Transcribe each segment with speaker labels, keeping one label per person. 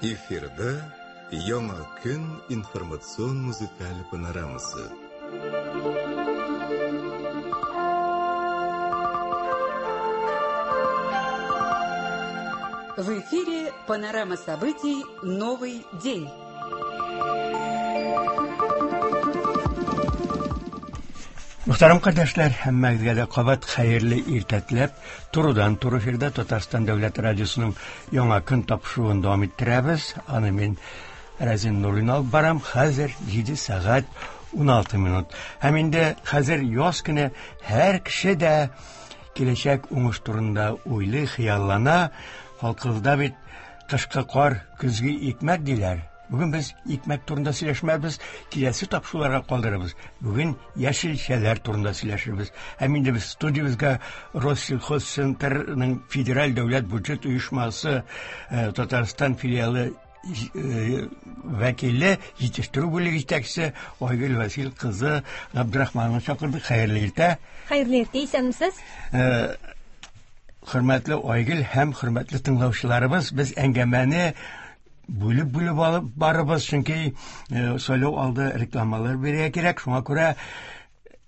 Speaker 1: Эфирда Яңа көн информацион музыкаль панорамасы.
Speaker 2: В эфире панорама событий «Новый день».
Speaker 3: Мөхтәрәм кардәшләр, һәммәгезгә дә кабат хәерле иртә теләп, турыдан туры эфирда Татарстан дәүләт радиосының Яңа көн тапшыруын дәвам иттерәбез. Аны мин Рәзин Нуруллин алып барам. Хәзер 7 сәгать 16 минут. Һәм инде хәзер яз көне һәр кеше дә киләчәк уңыш турында уйлый, хыяллана. Халкыбызда бит кышкы кар, көзге икмәк диләр. Бүген без икмәк турында сөйләшмәбез, киләсе тапшыруларга калдырабыз. Бүген яшелчәләр турында сөйләшербез. Һәм инде без студиябезгә Россельхозцентрның федераль дәүләт бюджет оешмасы э, Татарстан филиалы э, вәкиле, җитештерү бүлеге җитәкчесе Айгөл Васил кызы Габдрахманованы чакырдык. Хәерле иртә.
Speaker 4: Хәерле иртә, исәнмесез.
Speaker 3: Э, хөрмәтле Айгөл һәм хөрмәтле тыңлаучыларыбыз, без әңгәмәне бүлеп-бүлеп алып барыбыз, чөнки э, сайлау алды рекламалар бирергә кирәк. Шуңа күрә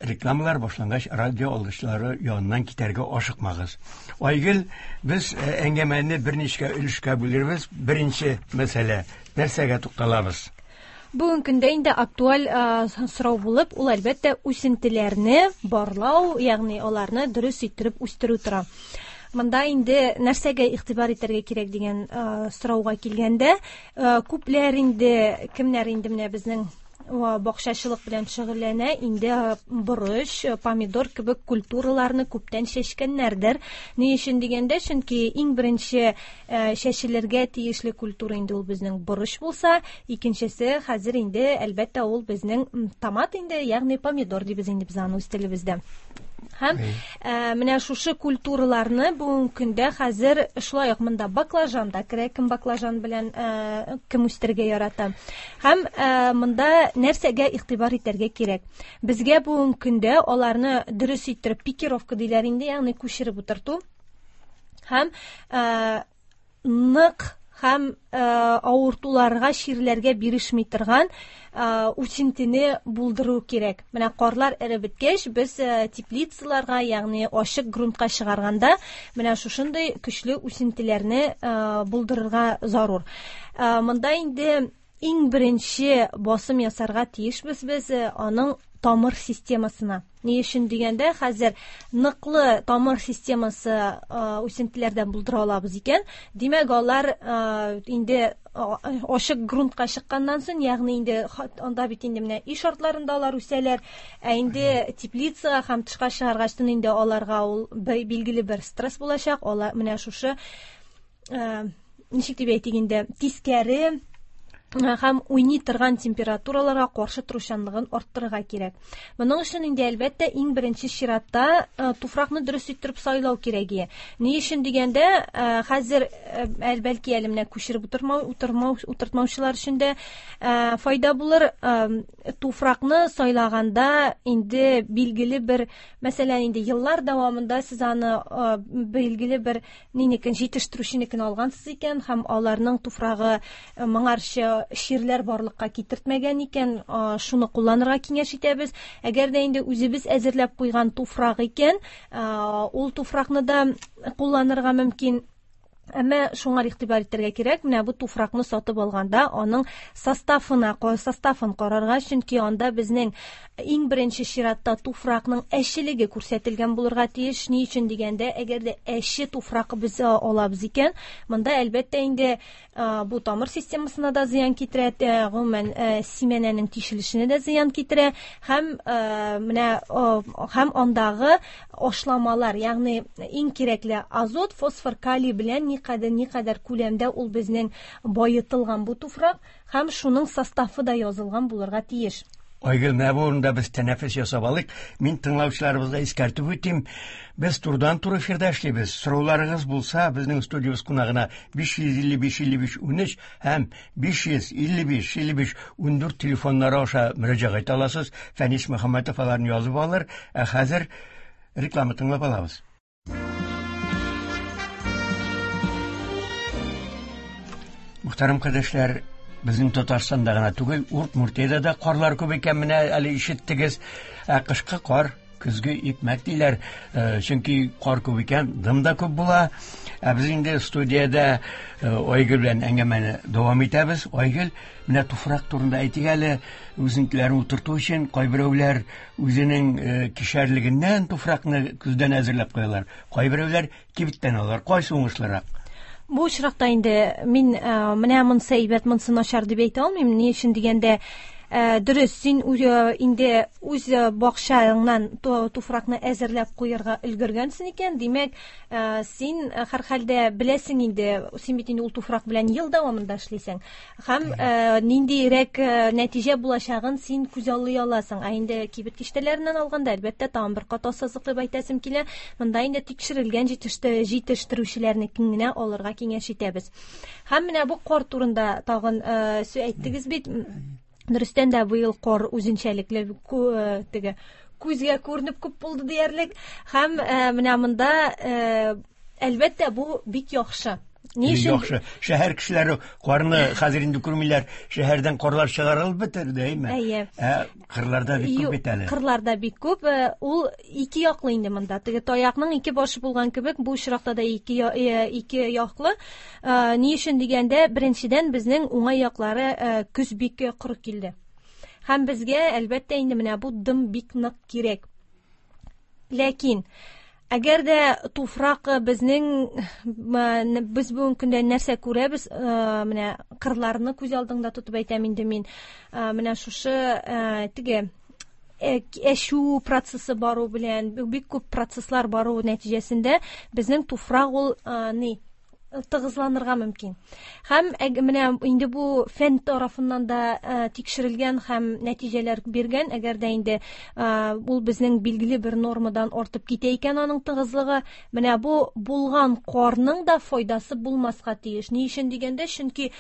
Speaker 3: рекламалар башлангач радио алгычлары яныннан китәргә ашыкмагыз. Айгөл, без э, әңгәмәне берничә өлешкә бүлербез. Беренче мәсьәлә, нәрсәгә тукталабыз?
Speaker 4: Бүгенге көндә инде актуаль э, сорау булып, ул әлбәттә үсентеләрне барлау, ягъни аларны дөрес иттереп үстерү тора. Монда инде нәрсәгә игътибар итәргә кирәк дигән э, сорауга килгәндә, э, күпләр инде, кемнәр инде менә безнең бакчачылык белән шөгыльләнә, инде борыч, помидор кебек культураларны күптән чәчкәннәрдер. Ни өчен дигәндә, чөнки иң беренче чәчелергә тиешле культура инде ул безнең борыч булса, икенчесе хәзер инде әлбәттә ул безнең томат инде, ягъни помидор дибез инде без аны үз телебездә. Һәм ә, менә шушы культураларны бүгенге көндә хәзер шулай ук монда баклажан да керә, кем баклажан белән ә, кем үстерергә ярата. Һәм ә, монда нәрсәгә игътибар итәргә кирәк? Безгә бүгенге көндә аларны дөрес иттереп пикировка диләр инде, ягъни күчереп утырту. Һәм ә, нык һәм э, авыртуларга, чирләргә бирешми торган э, үсентене булдыру кирәк. Менә карлар эреп беткәч, без э, теплицаларга, ягъни ачык грунтка чыгарганда, менә шушындый көчле үсентеләрне булдырырга зарур. Монда инде Иң беренче басым ясарга тиешбез без э, аның тамыр системасына. Ни өчен дигәндә, хәзер ныклы тамыр системасы э, үсентеләрдән булдыра алабыз икән, димәк, алар э, инде ачык грунтка чыкканнан соң, ягъни инде анда бит инде менә өй шартларында алар үсәләр, ә инде теплицага һәм тышка чыгаргачтын инде аларга ул билгеле бер стресс булачак, алар менә шушы ничек дип әйтик инде, тискәре һәм уйный торган температураларга каршы торучанлыгын арттырырга кирәк. Моның өчен инде әлбәттә иң беренче чиратта туфракны дөрес иттереп сайлау кирәк. Ни өчен дигәндә, хәзер бәлки әле менә күчереп утырмау, утырмау, утыртмаучылар өчен дә файда булыр. Туфракны сайлаганда инде билгеле бер, мәсәлән, инде еллар дәвамында сез аны билгеле бер Нинекен җитештерүченекен алгансыз икән һәм аларның туфрагы э, моңарчы чирләр барлыкка китертмәгән икән, шуны кулланырга киңәш итәбез. Әгәр дә инде үзебез әзерләп куйган туфрак икән, ул туфракны да кулланырга мөмкин. Әмма шуңа игътибар итәргә кирәк, менә бу туфракны сатып алганда аның составына, составын карарга, чөнки анда безнең Иң беренче чиратта туфракның әчелеге күрсәтелгән булырга тиеш. Ни өчен дигәндә, әгәр дә әче туфрак без алабыз икән, монда әлбәттә инде бу тамыр системасына да зыян китерә, гомумән симәнәнең тишелешенә дә зыян китерә һәм менә һәм андагы ашламалар, ягъни иң кирәкле азот, фосфор, калий белән никадәр никадәр күләмдә ул безнең баетылган бу туфрак, Һәм шуның составы да язылган булырга тиеш.
Speaker 3: Айгөл, менә бу урында без тәнәфес ясап алыйк. Мин тыңлаучыларыбызга искәртеп үтим. Без турыдан-туры эфирда эшлибез. Сорауларыгыз булса, безнең студиябез кунагына 555 55 13 һәм 555 55 14 телефоннары аша мөрәҗәгать итә аласыз. Фәнис Мөхәммәтов аларны язып алыр. Ә хәзер реклама тыңлап алабыз. Мөхтәрәм кардәшләр, безнең Татарстанда гына түгел, Удмуртиядә дә карлар күп икән, менә әле ишеттегез. Ә кышкы кар көзге икмәк диләр. Чөнки кар күп икән, дым да күп була. Ә без инде студиядә Айгөл белән әңгәмәне дәвам итәбез. Айгөл, менә туфрак турында әйтик әле, үсентеләрне утырту өчен кайберәүләр үзенең кишәрлегеннән туфракны көздән әзерләп куялар. Кайберәүләр кибеттән алалар. Кайсы уңышлырак?
Speaker 4: Бу очракта инде мин менә монысы әйбәт, монысы начар дип әйтә алмыйм. Ни өчен дигәндә, дөрес, син инде үз бакчаңнан туфракны әзерләп куярга өлгергәнсең икән, димәк, син һәрхәлдә беләсең инде, син бит инде ул туфрак белән ел дәвамында эшлисең. Һәм ниндирәк нәтиҗә булачагын син күзаллый аласың. Ә инде кибет киштәләреннән алганда, әлбәттә, тагын бер кат ассызыклап әйтәсем килә, монда инде тикшерелгән җитештерүчеләрнекен генә алырга киңәш итәбез. Һәм менә бу кар турында тагын сүз әйттегез бит. Дөрестән дә быел кар үзенчәлекле, теге күзгә күренеп күп булды диярлек. Һәм менә монда, әлбәттә, бу бик яхшы. Ни өчен?
Speaker 3: Яхшы. Шәһәр кешеләре карны хәзер инде күрмиләр. Шәһәрдән карлар чыгарылып бетерде, әйме?
Speaker 4: Әйе.
Speaker 3: Ә кырларда бик күп бит әле.
Speaker 4: Кырларда бик күп. Ул ике яклы инде монда. Теге таякның ике башы булган кебек, бу очракта да ике яклы. Ни өчен дигәндә, беренчедән, безнең уңай яклары, көз бик коры килде. Һәм безгә, әлбәттә, инде менә бу дым бик нык кирәк. Ләкин әгәр дә туфрак безнең, без бүгенге көндә нәрсә күрәбез, менә кырларны күз алдыңда тотып әйтәм инде мин, менә шушы теге әчү процессы бару белән, бик күп процесслар бару нәтиҗәсендә безнең туфрак ул ни тыгызланырга мөмкин. Һәм менә инде бу фән тарафыннан да тикшерелгән һәм нәтиҗәләр биргән, әгәр дә инде ул безнең билгеле бер нормадан артып китә икән аның тыгызлыгы, менә бу булган карның да файдасы булмаска тиеш. Ни өчен дигәндә, чөнки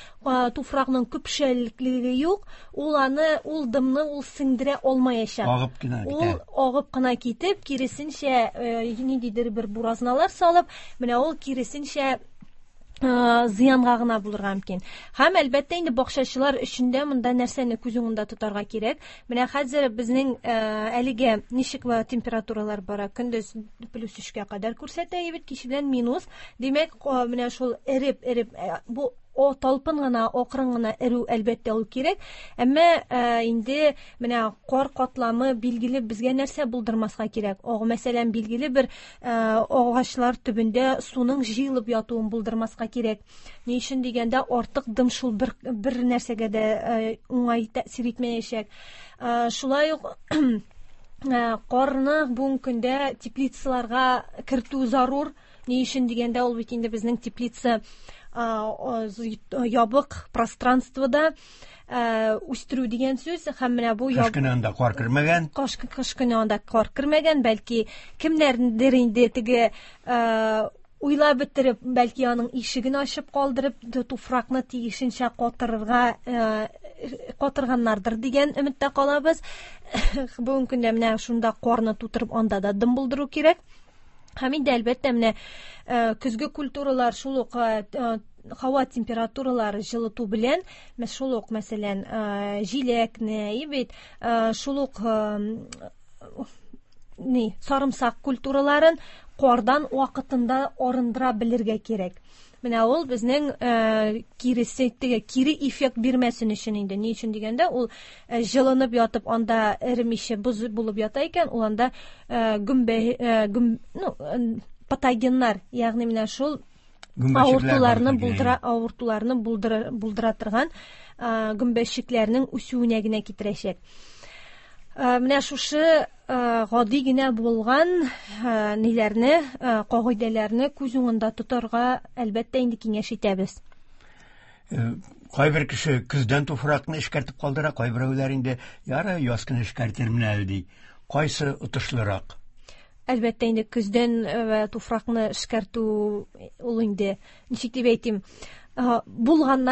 Speaker 4: туфракның көпшәлеклеге юк, ул аны, ул дымны ул сеңдерә алмаячак.
Speaker 3: Агып кына китә.
Speaker 4: Ул агып кына китеп, киресенчә, ниндидер бер буразналар салып, менә ул киресенчә зыянга гына булырга мөмкин. Һәм әлбәттә инде бакчачылар өчен дә монда нәрсәне күз уңында тотарга кирәк. Менә хәзер безнең әлегә ничек температуралар бара? Көндез плюс өчкә кадәр күрсәтә бит, кич белән минус. Димәк, менә шул эреп-эреп, бу талпын гына, акрын гына эрү әлбәттә ул кирәк. Әмма инде менә кар катламы билгеле безгә нәрсә булдырмаска кирәк. Мәсәлән, билгеле бер агачлар төбендә суның җыелып ятуын булдырмаска кирәк. Ни өчен дигәндә, артык дым шул бер нәрсәгә дә уңай тәэсир итмәячәк. Шулай ук карны бүгенге көндә теплицаларга кертү зарур. Ни өчен дигәндә, ул бит инде безнең теплица ябык пространствода үстерү дигән сүз. Һәм менә бу
Speaker 3: Кыш көне анда кар кермәгән.
Speaker 4: Кыш көне анда кар кермәгән, бәлки кемнәрдер инде теге уйлап бетереп, бәлки аның ишеген ачып калдырып, туфракны тиешенчә катырганнардыр дигән өметтә калабыз. Бүгенге көндә менә шунда карны тутырып, анда да дым булдыру кирәк. Һәм инде әлбәттә менә көзге культуралар шул ук һава температуралары җылыту белән, шул ук, мәсәлән, җиләкне, и бит, шул ук сарымсак культураларын кардан вакытында арындыра белергә кирәк. Менә ул безнең киресе, теге кире эффект бирмәсен өчен инде. Ни өчен дигәндә, ул җылынып ятып, анда эремичә боз булып ята икән, ул анда гөмбә гөм, ну патогеннар, ягъни менә шул
Speaker 3: Гөмбәчекләр
Speaker 4: авыртуларны
Speaker 3: барлыкка килә.
Speaker 4: булдыра, авыртуларны булдыра, булдыра торган гөмбәчекләрнең үсүенә генә китерәчәк. Менә шушы гади генә булган ниләрне, кагыйдәләрне күз уңында тотарга әлбәттә инде киңәш итәбез.
Speaker 3: Кайбер кеше көздән туфракны эшкәртеп калдыра, кайберәүләр инде ярый яз көне эшкәртермен әле ди. Кайсы отышлырак?
Speaker 4: Әлбәттә инде көздән туфракны эшкәртү ул инде, ничек дип әйтим, булган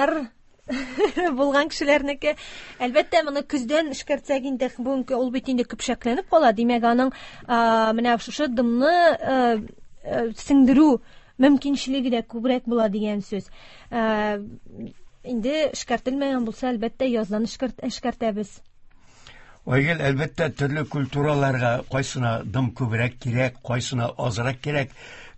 Speaker 4: кешеләрнеке. Әлбәттә, моны көздән эшкәртсәк инде, бүгенге ул бит инде көпшәкләнеп кала. Димәк, аның менә шушы дымны сеңдерү мөмкинчелеге дә күбрәк була дигән сүз. Инде эшкәртелмәгән булса, әлбәттә, яздан эшкәртәбез.
Speaker 3: Айгөл, әлбәттә, төрле культураларга кайсына дым күбрәк кирәк, кайсына азрак кирәк.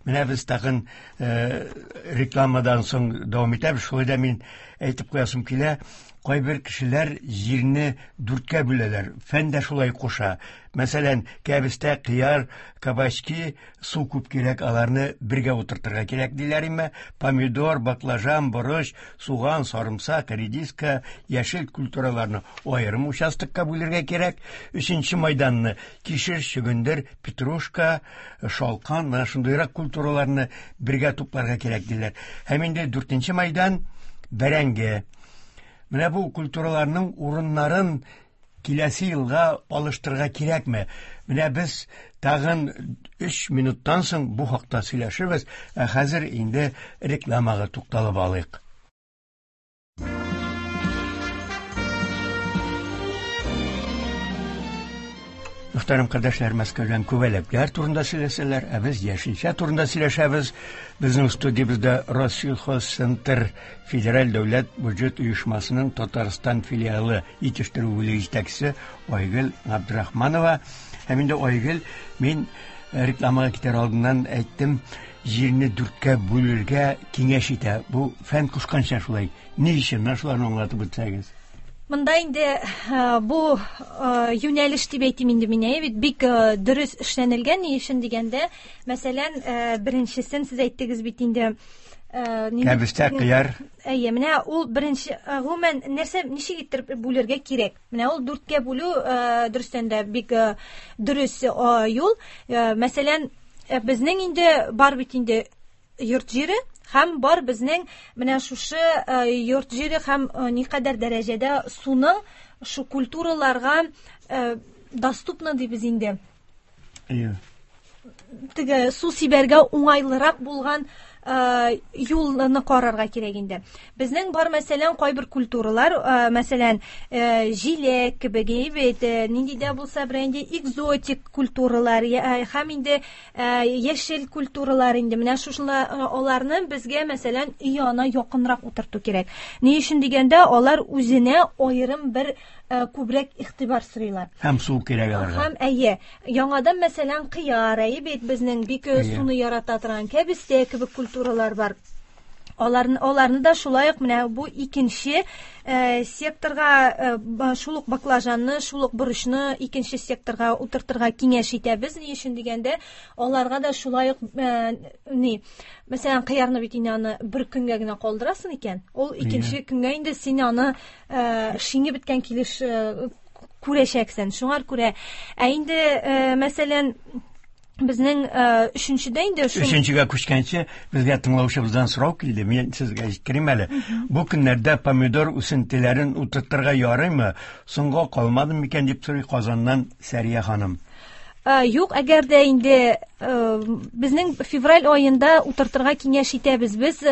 Speaker 3: Менә без тагын рекламадан соң дәвам итәбез. Шулай да мин әйтеп куясым килә, кайбер кешеләр җирне дүрткә бүләләр. Фән дә шулай куша. Мәсәлән, кәбестә, кыяр, кабачки су күп кирәк, аларны бергә утыртырга кирәк диләр име. Помидор, баклажан, борыч, суган, сарымсак, редиска, яшел культураларны аерым участокка бүлергә кирәк. Өченче майданны кишер, чөгендер, петрушка, шалкан, менә шундыйрак культураларны бергә тупларга кирәк диләр. Һәм инде дүртенче майдан бәрәңге. Менә бу культураларның урыннарын киләсе елга алыштырырга кирәкме? Менә без тагын 3 минуттан соң бу хакта сөйләшербез, ә хәзер инде рекламага тукталып алыйк. Мөхтәрәм кардәшләр, Мәскәүдән күбәләкләр турында сөйләсәләр, ә без яшелчә турында сөйләшәбез. Безнең студиябездә Россельхозцентр федераль дәүләт бюджет оешмасының Татарстан филиалы җитештерү бүлеге җитәкчесе Айгөл Габдрахманова. Һәм инде Айгөл, мин рекламага китәр алдыннан әйттем, җирне дүрткә бүлергә киңәш итә. Бу фән кушканча шулай. Ни өчен? Менә шуларны аңлатып үтсәгез.
Speaker 4: Монда инде бу юнәлеш дип әйтим инде мин, әйе бит, бик дөрес эшләнелгән. Ни өчен дигәндә, мәсәлән, беренчесен сез әйттегез бит инде,
Speaker 3: кәбестә, кыяр.
Speaker 4: Әйе, менә ул беренче, гомумән, нәрсә, ничек иттереп бүлергә кирәк? Менә ул дүрткә бүлү, дөрестән дә бик дөрес юл. Мәсәлән, безнең инде бар бит инде йорт җире һәм бар безнең менә шушы йорт җире һәм никадәр дәрәҗәдә суның шу культураларга доступно дибез инде.
Speaker 3: Әйе.
Speaker 4: Теге су сибәргә уңайлырак булган юлны карарга кирәк инде. Безнең бар, мәсәлән, кайбер культуралар, мәсәлән, җиләк кебек, бит, нинди дә булса бер инде экзотик культуралар, һәм инде яшел культуралар инде. Менә шушылар, аларны безгә, мәсәлән, өй янына якынрак утырту кирәк. Ни өчен дигәндә, алар үзенә аерым бер күбрәк игътибар сорыйлар.
Speaker 3: Һәм су кирәк аларга.
Speaker 4: Һәм әйе, яңадан, мәсәлән, кыяр, әйе бит, безнең бик суны ярата торган кәбестә кебек культуралар бар. Аларны да шулай ук менә бу икенче секторга, шул ук баклажанны, шул ук борычны икенче секторга утыртырга киңәш итәбез. Ни өчен дигәндә, аларга да шулай ук, ни, мәсәлән, кыярны бит инде аны бер көнгә генә калдырасың икән, ул икенче көнгә инде син аны шиңе беткән килеш күрәчәксең. Шуңар күрә, ә инде, мәсәлән, безнең өченчедә инде шул
Speaker 3: Өченчегә күчкәнче безгә тыңлаучыбыздан сорау килде. Мин сезгә җиткерим әле. Бу көннәрдә помидор үсентеләрен утыртырга ярыймы? Соңга калмадым микән дип сорый Казаннан Сәрия ханым.
Speaker 4: Юк, әгәр дә инде безнең февраль аенда утыртырга киңәш итәбез. Без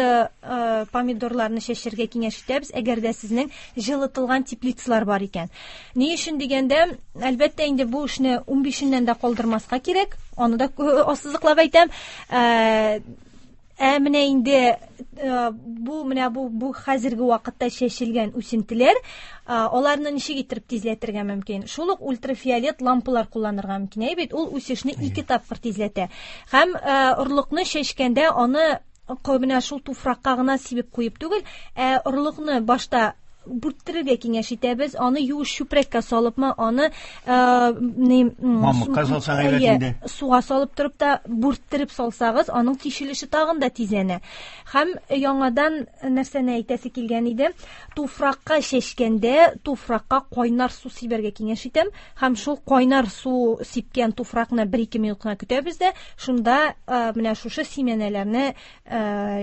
Speaker 4: помидорларны чәчәргә киңәш итәбез, әгәр дә сезнең җылытылган теплицалар бар икән. Ни өчен дигәндә, әлбәттә инде бу эшне 15-ннән дә калдырмаска кирәк. Аны да ассызыклап әйтәм. Ә менә инде бу, менә бу, бу хәзерге вакытта чәчелгән үсентеләр, аларны ничек иттереп тизләтергә мөмкин? Шул ук ультрафиолет лампалар кулланырга мөмкин. Әйе бит, ул үсешне 2 тапкыр тизләтә. Һәм орлыкны чәчкәндә аны менә шул туфракка гына сибеп куеп түгел, ә орлыкны башта бүрттерергә киңәш итәбез, аны юеш чүпрәккә салыпмы, аны, ни,
Speaker 3: Мамыкка салсаң әйбәт
Speaker 4: әйе,
Speaker 3: инде.
Speaker 4: суга салып торып та бүрттереп салсагыз, аның тишелеше тагын да тизләнә. Һәм яңадан нәрсәне әйтәсе килгән иде, туфракка чәчкәндә туфракка кайнар су сибәргә киңәш итәм, һәм шул кайнар су сипкән туфракны бер-ике минут кына көтәбез дә, шунда, менә шушы симәнәләрне,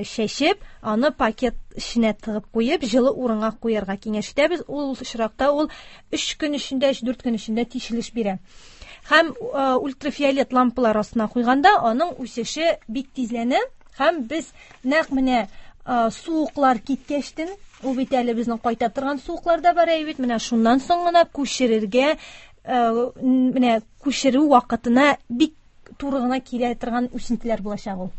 Speaker 4: чәчеп, аны пакет эченә тыгып куеп, җылы урынга куярга киңәш итәбез. Ул очракта ул 3 көн эчендә, өч-дүрт көн эчендә тишелеш бирә. Һәм ультрафиолет лампалар астына куйганда аның үсеше бик тизләнә, һәм без нәкъ менә суыклар киткәчтен, ул бит әле безнең кайта торган суыклар да бар, әйе бит, менә шуннан соң гына күчерергә, менә күчерү вакытына бик туры гына килә торган үсентеләр булачак ул.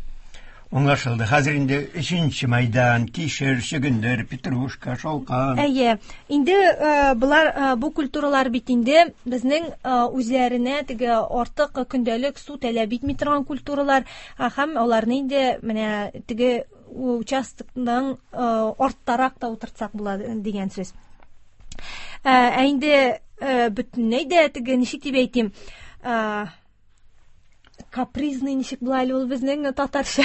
Speaker 3: Аңлашылды. Хәзер инде өченче мәйдан, кишер, чөгендер, петрушка, шалкан.
Speaker 4: Әйе. Инде э, болар э, бу культуралар бит инде безнең э, үзләренә теге артык көндәлек су таләп итми торган культуралар һәм аларны инде менә теге участокның арттарак та утыртсак була дигән сүз. Ә инде бөтенләй дә теге ничек дип әйтим, капризный ничек була әле ул безнең татарча?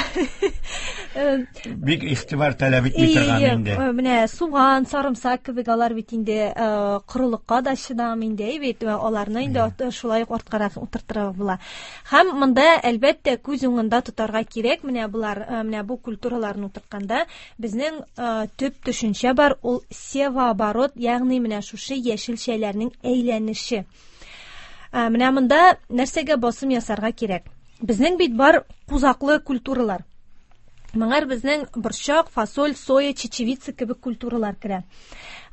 Speaker 3: Бик игътибар таләп итми торган инде.
Speaker 4: Менә суган, сарымсак кебек алар бит инде корылыкка да чыдам инде, бит аларны инде шулай ук арткарак утыртырга була. Һәм монда әлбәттә күз уңында тотарга кирәк, менә болар, менә бу культураларны утыртканда безнең төп төшенчә бар, ул севооборот, ягъни менә шушы яшелчәләрнең әйләнеше. Менә монда нәрсәгә басым ясарга кирәк? Безнең бит бар кузаклы культуралар. Моңар безнең борчак, фасоль, соя, чечевица кебек культуралар керә.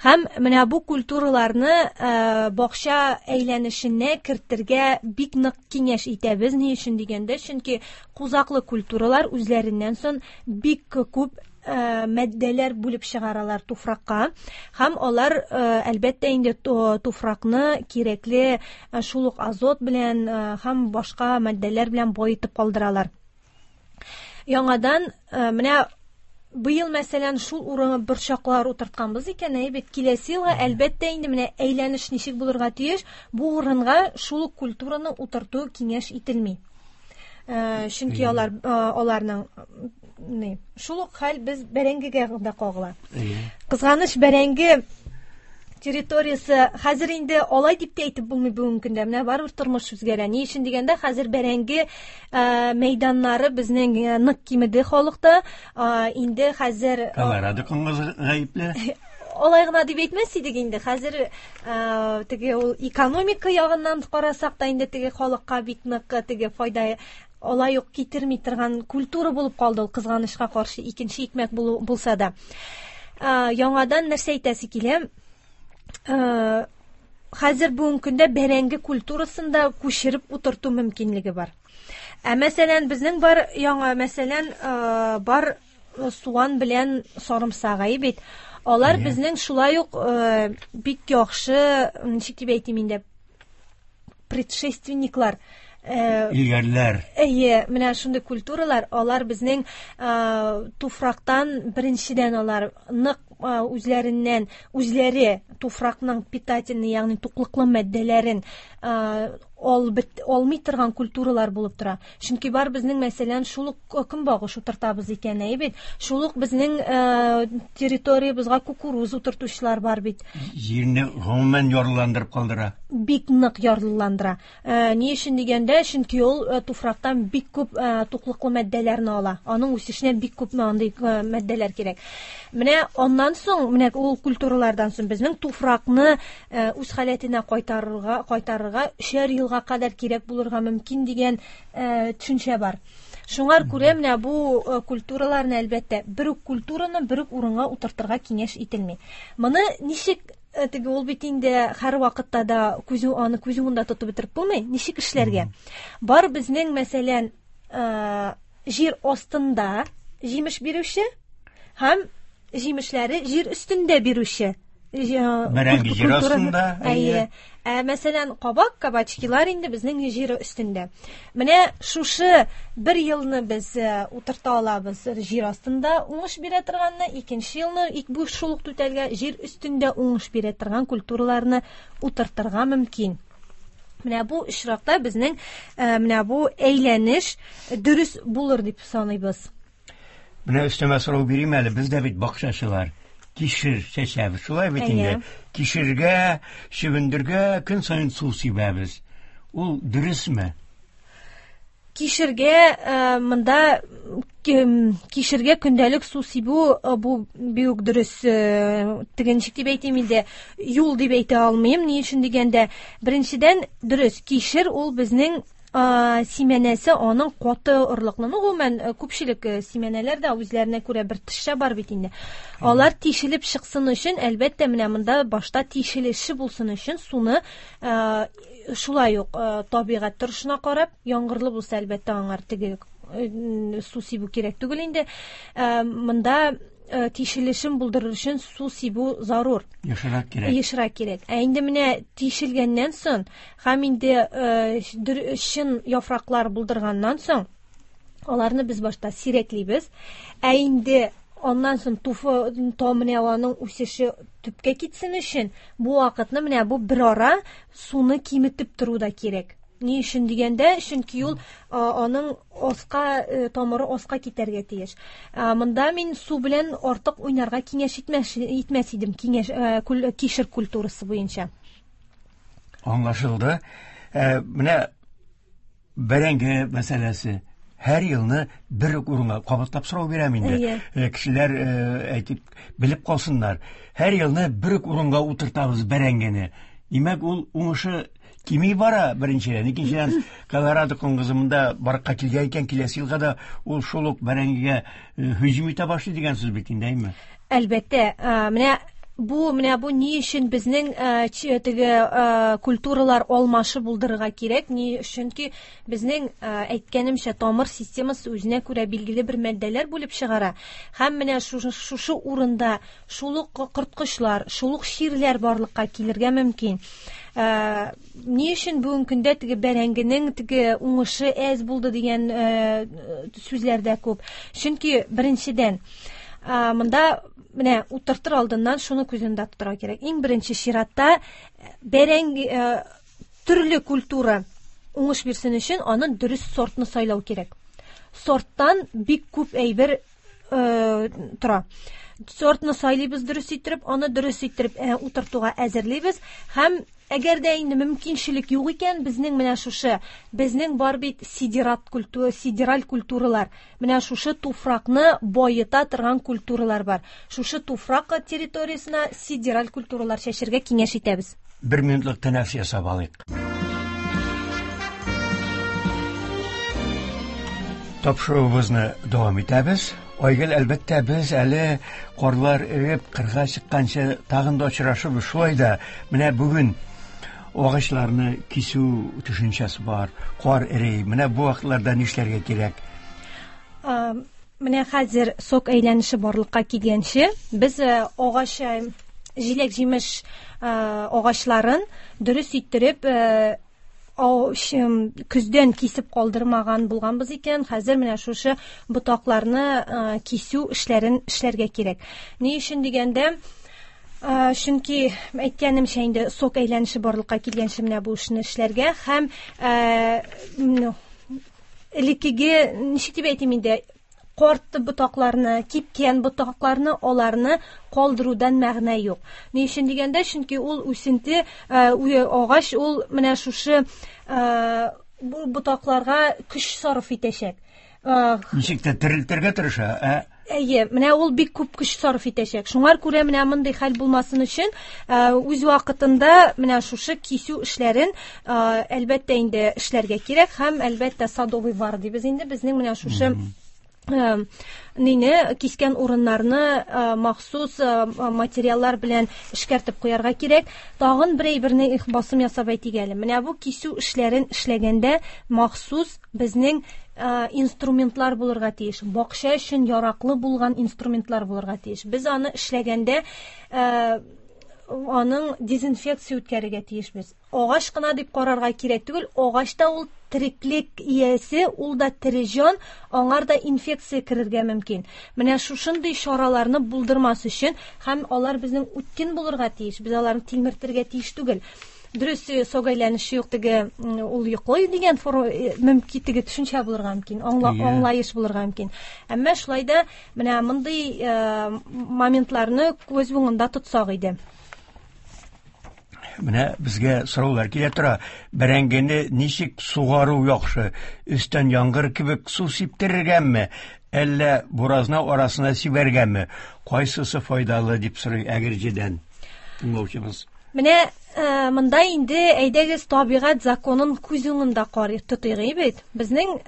Speaker 4: Һәм менә бу культураларны э, бакча әйләнешенә кертергә бик нык киңәш итәбез. Ни өчен дигәндә, чөнки кузаклы культуралар үзләреннән соң бик күп Э, матдәләр бүлеп чыгаралар туфракка һәм алар э, әлбәттә инде туфракны кирәкле э, шул ук азот белән һәм башка матдәләр белән баетып калдыралар. Яңадан менә быел, мәсәлән, шул урынга борчаклар утыртканбыз икән, әйе бит, киләсе елга әлбәттә инде менә әйләнеш ничек булырга тиеш, бу урынга шул ук культураны утырту киңәш ителми. Чөнки алар аларның ни, шул ук хәл без бәрәңгегә дә кагыла. Кызганыч, бәрәңге территориясе хәзер инде алай дип тә әйтеп булмый бүгенге көндә. Менә барыбер тормыш үзгәрә. Ни өчен дигәндә, хәзер бәрәңге мәйданнары безнең нык кимеде халыкта. Инде хәзер
Speaker 3: Колорадо коңгызы гаепле.
Speaker 4: Алай гына дип әйтмәс идек инде. Хәзер теге ул экономика ягыннан карасак та инде теге халыкка бик нык теге файда алай ук китерми торган культура булып калды ул, кызганычка каршы, икенче икмәк булса да. Яңадан нәрсә әйтәсе килә? Хәзер бүгенге көндә бәрәңге культурасын да күчереп утырту мөмкинлеге бар. Ә мәсәлән, безнең бар яңа, мәсәлән, бар суган белән сарымсак, әйе бит. Алар безнең шулай ук бик яхшы, ничек дип әйтим инде, предшественниклар.
Speaker 3: Илгәрләр.
Speaker 4: Әйе, менә шундый культуралар, алар безнең туфрактан беренчедән алар нык үзләреннән, үзләре туфракның питательный, ягъни туклыклы матдәләрен алмый торган культуралар булып тора. Чөнки бар безнең, мәсәлән, шул ук көнбагыш утыртабыз икән, әйе бит? Шул ук безнең территориябезгә кукуруз утыртучылар бар бит.
Speaker 3: Җирне гомумән ярлыландырып калдыра.
Speaker 4: Бик нык ярлыландыра. Ни өчен дигәндә, чөнки ул туфрактан бик күп туклыклы матдәләрне ала. Аның үсешенә бик күп андый матдәләр кирәк. Менә аннан соң, менә ул культуралардан соң безнең туфракны үз халәтенә кайтарырга, кайтарырга өчәр елга кадәр кирәк булырга мөмкин дигән төшенчә бар. Шуңар күрә менә бу культураларны әлбәттә бер үк культураны бер үк урынга утыртырга киңәш ителми. Моны ничек теге ул бит инде һәр вакытта да күз аны күз уңында тотып бетереп булмый. Ничек эшләргә? Бар безнең, мәсәлән, җир астында җимеш бирүче һәм җимешләре җир өстендә бирүче.
Speaker 3: Бәрәңге җир астында.
Speaker 4: Әйе. Ә мәсәлән, кабак, кабачкилар инде безнең җир өстендә. Менә шушы бер елны без утырта алабыз җир астында уңыш бирә торганны, икенче елны бу шул ук түтәлгә җир өстендә уңыш бирә торган культураларны утыртырга мөмкин. Менә бу очракта безнең менә бу әйләнеш дөрес булыр дип саныйбыз.
Speaker 3: Менә өстәмә сорау бирим әле, без дә бит бакчачылар. Кишер чәчәбез, шулай бит инде. Кишергә, чөгендергә көн саен су сибәбез. Ул дөресме?
Speaker 4: Кишергә монда кишергә көндәлек су сибү бу бик дөрес, теге ничек дип әйтим инде, юл дип әйтә алмыйм. Ни өчен дигәндә, беренчедән, дөрес, кишер ул безнең симәнәсе аның каты орлыклы. Ну, гомумән, күпчелек симәнәләр дә үзләренә күрә бер тышча бар бит инде. Алар тишелеп чыксын өчен, әлбәттә, менә монда башта тишелеше булсын өчен суны шулай ук табигать торышына карап, яңгырлы булса, әлбәттә, аңар теге су сибү кирәк түгел инде. Монда тишелешен булдырыр өчен су сибү зарур.
Speaker 3: Ешрак кирәк.
Speaker 4: Ешрак кирәк. Ә инде менә тишелгәннән соң һәм инде чын яфраклар булдырганнан соң аларны без башта сирәклибез. Ә инде аннан соң туфы то менә аның үсеше төпкә китсен өчен бу вакытны менә бу бер ара суны киметеп тору да кирәк. Ни өчен дигәндә, чөнки ул аның аска тамыры аска китәргә тиеш. Монда мин су белән артык уйнарга киңәш итмәс идем, киңәш кишер культурасы буенча.
Speaker 3: Аңлашылды. Менә бәрәңге мәсьәләсе. Һәр елны бер үк урынга кабатлап сорау бирәм инде. Кешеләр әйтеп белеп калсыннар. Һәр елны бер үк урынга утыртабыз бәрәңгене. Димәк, ул уңышы кими бара беренчедән. Икенчедән, Колорадо коңгызы монда барлыкка килгән икән, киләсе елга да ул шул ук бәрәңгегә һөҗүм итә башлый дигән сүз бит инде, әйме?
Speaker 4: Әлбәттә, менә бу ни өчен безнең теге культуралар алмашы булдырырга кирәк? Ни чөнки безнең әйткәнемчә тамыр системасы үзенә күрә билгеле бер матдәләр бүлеп чыгара. Һәм менә шушы урында шул ук корткычлар, шул ук чирләр барлыкка килергә мөмкин. Ни өчен бүгенге көндә теге бәрәңгенең теге уңышы әз булды дигән сүзләр дә күп. Чөнки беренчедән, монда менә утыртыр алдыннан шуны күз уңында тотарга кирәк. Иң беренче чиратта бәрәңге төрле культура уңыш бирсен өчен аны дөрес сортны сайлау кирәк. Сорттан бик күп әйбер тора. Сортны сайлыйбыз дөрес иттереп, аны дөрес иттереп утыртуга әзерлибез һәм әгәр дә инде мөмкинчелек юк икән, безнең менә шушы, безнең бар бит сидерат культура, сидераль культуралар. Менә шушы туфракны байыта торган культуралар бар. Шушы туфрак территориясенә сидераль культуралар чәчергә киңәш итәбез.
Speaker 3: Бер минутлык тәнәфес ясап алыйк. Тапшыруыбызны дәвам итәбез. Айгөл, әлбәттә, без әле карлар эреп кырга чыкканчы тагын да очрашырбыз. Шулай да менә бүген агачларны кисү төшенчәсе бар, кар эри. Менә бу вакытларда нишләргә кирәк?
Speaker 4: Менә хәзер сок әйләнеше барлыкка килгәнче, без агач җиләк-җимеш агачларын дөрес иттереп көздән кисеп калдырмаган булганбыз икән, хәзер менә шушы ботакларны кисү эшләрен эшләргә кирәк. Ни өчен дигәндә, чөнки әйткәнемчә инде сок әйләнеше барлыкка килгәнче менә бу эшне эшләргә һәм элеккеге, ничек дип әйтим инде, карт ботакларны, кипкән ботакларны, аларны калдырудан мәгънә юк. Ни өчен дигәндә, чөнки ул үсенте, агач ул менә шушы бу ботакларга көч сарыф итәчәк.
Speaker 3: Ничек тә терелтергә тырыша, ә?
Speaker 4: Әйе, менә ул бик күп көч сарыф итәчәк. Шуңар күрә менә мондый хәл булмасын өчен, үз вакытында менә шушы кисү эшләрен, әлбәттә инде эшләргә кирәк һәм әлбәттә садовый вар дибез инде безнең менә шушы нине кискән урыннарны махсус материаллар белән эшкәртеп куярга кирәк. Тагын бер әйберне басым ясап әйтик әле. Менә бу кисү эшләрен эшләгәндә махсус безнең инструментлар булырга тиеш. Бакча өчен яраклы булган инструментлар булырга тиеш. Без аны эшләгәндә аның дезинфекция үткәрергә тиешбез. Агач кына дип карарга кирәк түгел, агач та ул тереклек иясе, ул да тере җан, аңар да инфекция керергә мөмкин. Менә шушындый чараларны булдырмас өчен һәм алар безнең үткен булырга тиеш, без аларны тилмертергә тиеш түгел. Дөрес, сок әйләнеше юк теге, ул йоклый дигән мөмкин теге төшенчә булырга мөмкин, аңлаеш булырга мөмкин. Әмма шулай да менә мондый моментларны күз уңында тотсак иде.
Speaker 3: Менә безгә сораулар килә тора. Бәрәңгене ничек сугару яхшы? Өстән яңгыр кебек су сиптерергәме? Әллә буразна арасына сибәргәме? Кайсысы файдалы дип сорый Әгерҗедән тыңлаучыбыз.
Speaker 4: Менә монда инде әйдәгез табигать законын күз уңында карый тотыйк бит. Безнең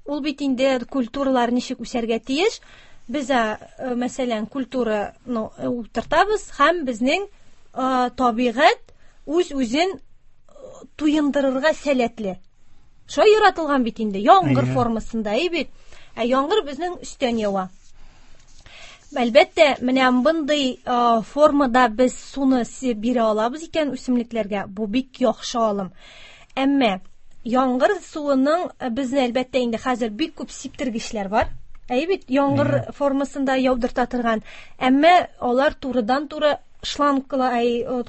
Speaker 4: ул бит инде культуралар ничек үсәргә тиеш? Без, мәсәлән, культураны утыртабыз һәм безнең табигать үз-үзен туендырырга сәләтле. Шулай яратылган бит инде, яңгыр формасында, әй бит. Ә яңгыр безнең өстән ява. Әлбәттә, менә мондый формада без суны бирә алабыз икән үсемлекләргә, бу бик яхшы алым. Әмма яңгыр суының безне әлбәттә инде хәзер бик күп сиптергечләр бар. Әй бит, яңгыр формасында яудырта торган. Әмма алар турыдан-туры шланглар,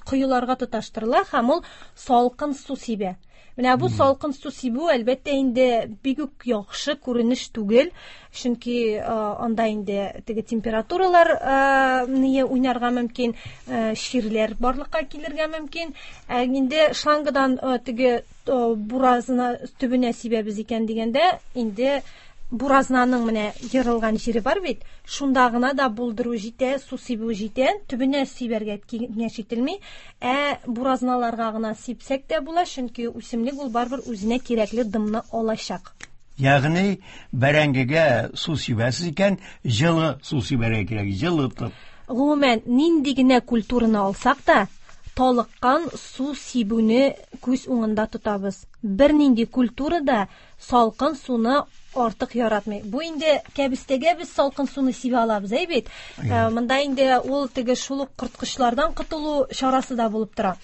Speaker 4: коеларга тоташтырыла һәм ул салкын су сибә. Менә бу салкын су сибү, әлбәттә инде, бик үк яхшы күренеш түгел, чөнки анда инде теге температуралар ние уйнарга мөмкин, чирләр барлыкка килергә мөмкин. Ә инде шлангадан теге буразна төбенә сибәбез икән дигәндә, инде буразнаның менә ерылган җире бар бит, шунда гына да булдыру җитә, су сибү җитә, төбенә сибәргә киңәш ителми. Ә буразналарга гына сипсәк тә була, чөнки үсемлек ул барыбер үзенә кирәкле дымны алачак.
Speaker 3: Ягъни бәрәңгегә су сибәсез икән, җылы су сибәргә кирәк, җылытып.
Speaker 4: Гомумән, нинди генә культураны алсак та, талыккан су сибүне күз уңында тотабыз. Бернинди культура да салкын суны артык яратмый. Бу инде кәбестәгә без салкын суны сибә алабыз, әй бит. Монда инде ул теге шул ук корткычлардан котылу чарасы да булып тора.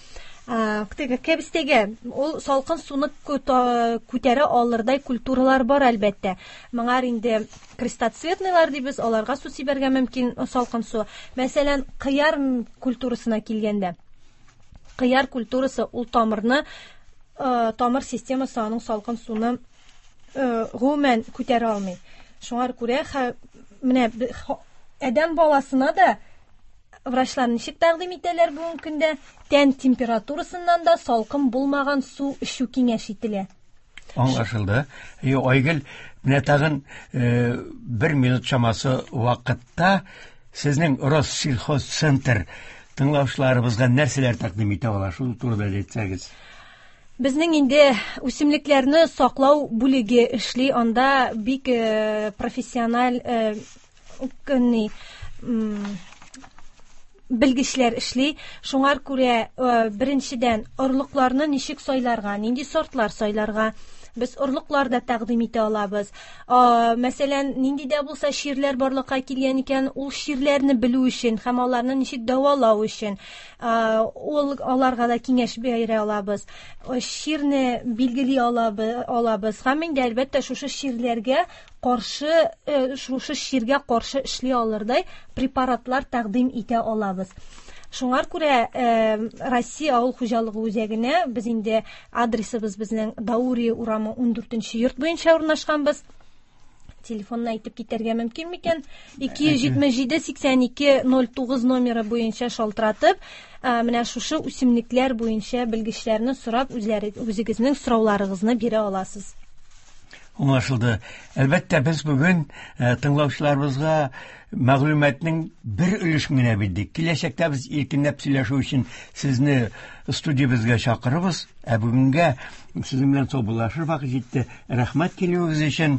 Speaker 4: Теге кәбестәгә ул салкын суны күтәрә алырдай культуралар бар, әлбәттә. Моңар инде крестоцветныйлар дибез, аларга су сибәргә мөмкин салкын су. Мәсәлән, кыяр культурасына килгәндә, кыяр культурасы ул тамырны, тамыр системасы аның салкын суны гомумән күтәрә алмый. Шуңа күрә менә адәм баласына да врачлар ничек тәкъдим итәләр бүгенге көндә? Тән температурасыннан да салкын булмаган су эчү киңәш ителә.
Speaker 3: Аңлашылды. Айгөл, менә тагын бер минут чамасы вакытта сезнең Россельхозцентр тыңлаучыларыбызга нәрсәләр тәкъдим итә ала, шул турыда әйтсәгез.
Speaker 4: Безнең инде үсемлекләрне саклау бүлеге эшли, анда бик профессиональ белгечләр эшли. Шуңар күрә беренчедән орлыкларны ничек сайларга, нинди сортлар сайларга, без орлыклар да тәкъдим итә алабыз. Мәсәлән, нинди дә булса чирләр барлыкка килгән икән, ул чирләрне белү өчен һәм аларны ничек дәвалау өчен, ул аларга да киңәш бирә алабыз. Чирне билгели алабыз һәм инде әлбәттә шушы чирләргә каршы, шушы чиргә каршы эшли алырдай препаратлар тәкъдим итә алабыз. Шуңар күрә Россия авыл хуҗалыгы үзәгенә без инде адресыбыз безнең Даурия урамы 14 йорт буенча урнашканбыз. Телефонны әйтеп китәргә мөмкин микән? 277 82 09 номеры буенча шалтыратып, менә шушы үсемлекләр буенча белгечләрне сорап, үзегезнең сорауларыгызны бирә аласыз.
Speaker 3: Аңлашылды. Әлбәттә, без бүген тыңлаучыларыбызга мәгълүматның бер өлешен генә бирдек. Киләчәктә без иркенләп сөйләшү өчен сезне студиябезгә чакырабыз. Ә бүгенгә сезнең белән саубуллашыр вакыт җитте. Рәхмәт килүегез өчен.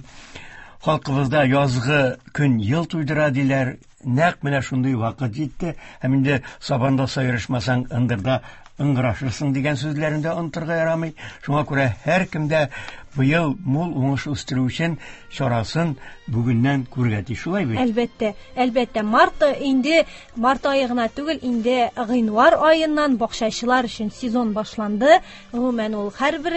Speaker 3: Халкыбызда язгы көн ел туйдыра диләр. Нәкъ менә шундый вакыт җитте. Һәм инде сабанда сайрышмасаң, ындырда ыңгырашырсың дигән сүзләрен дә онытырга ярамый. Шуңа күрә һәркем дә быел мул уңыш үстерү өчен чарасын бүгеннән күрергә тиеш. Шулай бит?
Speaker 4: Әлбәттә, әлбәттә. Март инде, март ае гына түгел, инде гыйнвар аеннан бакчачылар өчен сезон башланды. Гомумән, ул һәрбер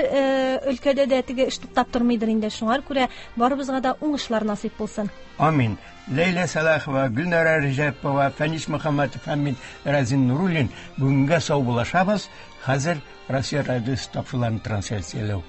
Speaker 4: өлкәдә дә теге эш туктап тормыйдыр инде. Шуңа күрә барыбызга да уңышлар насыйп булсын.
Speaker 3: Амин. Ләйлә Сәлахова, Гөлнара Рәҗәпова, Фәнис Мөхәммәтов һәм мин Разин Нуруллин бүгенгә саубуллашабыз. Хәзер Россия радиосы тапшыруларын трансляцияләү.